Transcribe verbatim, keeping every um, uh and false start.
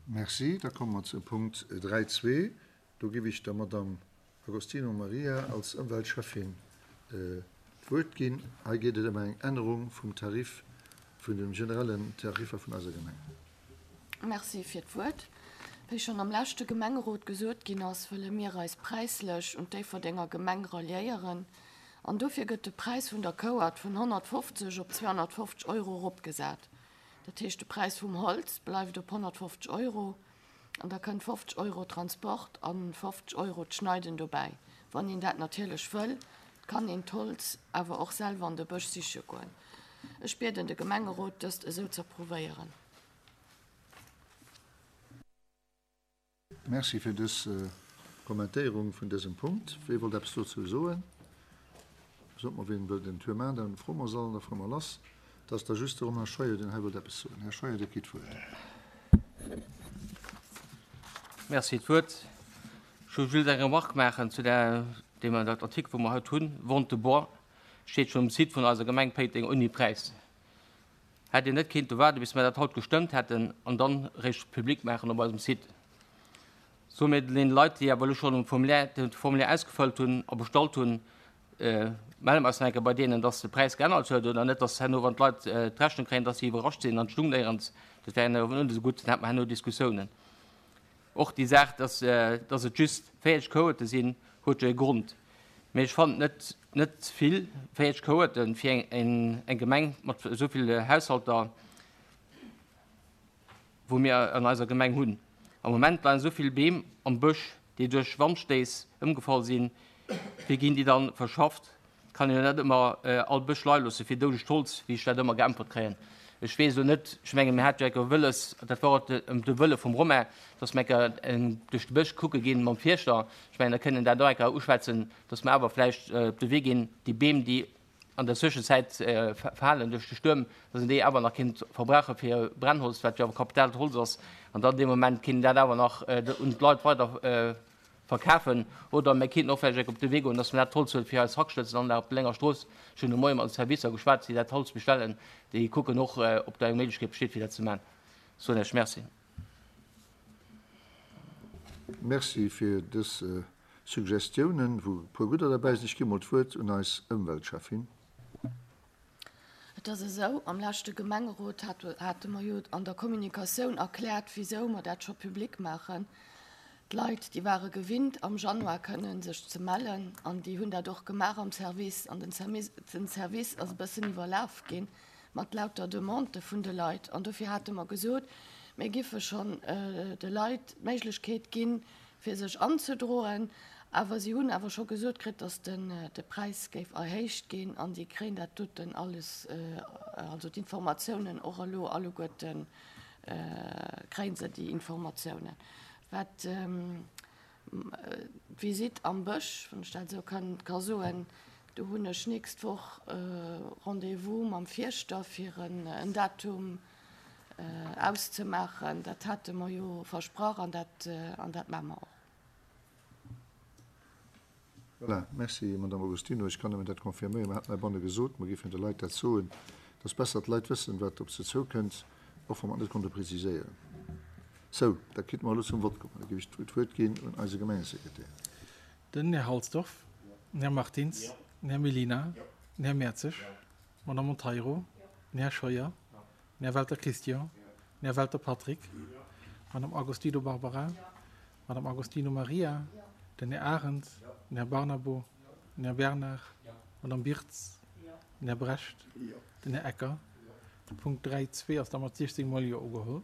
Merci. Da komme mer zum Punkt dräi zwee. Do géif ech der Madame Agostino Maria als Ëmweltschäffin d'Wuert ginn. Hei geet et ëm eng Ännerung vum Tarif, vun de generellen Tariffer vun eiser Gemeng. Merci fir d'Wuert. Wéi schonn am leschte Gemengerot gesot ginn ass, wëlle mir eis präislech un d'Déifferdenger Gemeng ralliéieren an dofir gëtt de Präis vun der Kouert vun honnertfofzeg op zweehonnertfofzeg Euro eropgesat. Dat heescht, de Präis vum Holz bleift op honnertfofzeg Euro an da kënnt fofzeg Euro Transport a fofzeg Euro d'Schneiden dobäi. Wann een dat natierlech wëll, kann een d'Holz awer och selwer an de Bësch siche goen. Ech bieden de Gemengerot, dëst esou z'approuvéieren. Merci fir dës Kommentéierung vun dësem Punkt. Wee wollt eppes dozou soen? Sot mer, wien wëllt en Tour maachen, dann froe mer se all an da fuere mer lass. Et ass da just de Romain Scheuer, deen hei wëllt eppes soen. Här Scheuer, Dir kritt d'Wuert. Merci d'Wuert. Ech wëll just eng Remarque maachen zu der, deem Artikel, wou mer haut hunn, Vente de bois, steet schonn um Site vun eiser Gemeng Péiteng ouni Präis. Hätt Dir net kéinte waarden, bis mer dat haut gestëmmt hätten an dann eréischt public maachen op eisem Site? Soe mir deene Leit, déi awer elo schonn um Formulaire, de Formulaire ausgefëllt hunn a bestallt hunn, melle mer eis nach eng Kéier bei deenen, dass de Präis geännert huet oder net, dass herno, wann d'Leit d'Rechnung kréien, dass si iwwerrascht sinn an d'Stung néierens. Dat wär herno net esou gutt, dann hätte mer herno Diskussiounen. Och déi Saach, dass, dass et just véierzeg Cohorte sinn, huet jo e Grond. Mee ech fannen et net, net vill, véierzeg Cohorte fir eng, eng Gemeng mat esou vill Haushalter, wou mir an eiser Gemeng hunn. Am Moment leien esou vill Beem am Bësch, déi duerch Wandstéiss ëmgefall sinn. Wéi ginn déi dann verschafft? Kann een jo net ëmmer all Bësch leie loosse fir doudegt Holz, wéi ech dat ëmmer geäntwert kréien. Ech weess elo net, ech mengen, mir hate jo enker wëlles, dat war och de Wëlle vum Romain, dass mir enker duerch de Bësch kucke ginn mam Fierschter. Ech mengen, da kënnt een dat och enker uschwätzen, dass mir awer vläicht op de Wee ginn, déi Beem, déi an der Zwëschenzäit falen duerch de Stuerm, dass een déi awer nach kéint verbrauche fir Brennholz, wat jo awer kapitaalt Holz ass, an dann dee Moment kéint een dat awer nach un d'Leit weider verkafen. Oder mir kéinten och vläicht op de Wee goen, dass mer dat Holz huele fir eis Hackschnëtzelanlag op der Lénger Strooss. Ech hunn de Moie mat de Servicer geschwat, déi dat Holz bestellen, déi kucken och, ob do eng Méiglechkeet besteet, fir dat ze maachen. Soen ech Merci. Merci fir dës Suggestiounen, wou e puer gudder derbäi sinn. Ech gi mol d'Wuert un eis Ëmweltschäffin. Et ass esou, am leschte Gemengerot hate mer jo an der Kommunikatioun erkläert, wisou mer dat scho public maachen. D'Leit, déi ware gewinnt, am Januar kënnen sech ze mellen, an déi hunn dat och gemaach am Service. An den Service ass e bëssen iwwerlaf gi mat lauter Demandë vun de Leit. An dofir hate mer gesot, mir giffe schonn de Leit d'Méiglechkeet ginn, fir sech anzedroen. Awer si hunn awer scho gesot kritt, datt de Präis géif erhéicht ginn an si kréien dat doten alles, also d'Informatiounen och elo alleguerte kréie se déi Informatiounen. Wat d'Visitt am Bësch, wann ech dat esou ka soen, do hunn ech nächst Woch Rendez-vous mam Fierschter fir en Datum auszemaachen. Dat hate mer jo versprach an dat maache mer och. Voilà, merci, Madame Agostino. Ech kann nëmmen dat confirméieren. Mer haten heibanne gesot, mer géifen de Leit dat soen. Et ass besser, d'Leit wëssen, wat op se zoukënnt, och wa mer et net konnte preziséieren. Sou, da kinnte mer elo zum Vott kommen. Da géif ech d'Wuert ginn un eise Gemengesekretär. Den Här Halsdorf, den Här Martins, den Här Mellina, den Här Mertzig, d'Madame Monteiro, den Här Scheuer, den Här Welter Christian, den Här Welter Patrick, d'Madame Agostino Barbara, d'Madame Agostino Maria, den Här Arendt, den Här Barnabo, den Här Bernard, d'Madame Birtz, den Här Brecht, den Här Ecker. De Punkt dräi zwee ass da mat siechzéng Mol Jo ugeholl.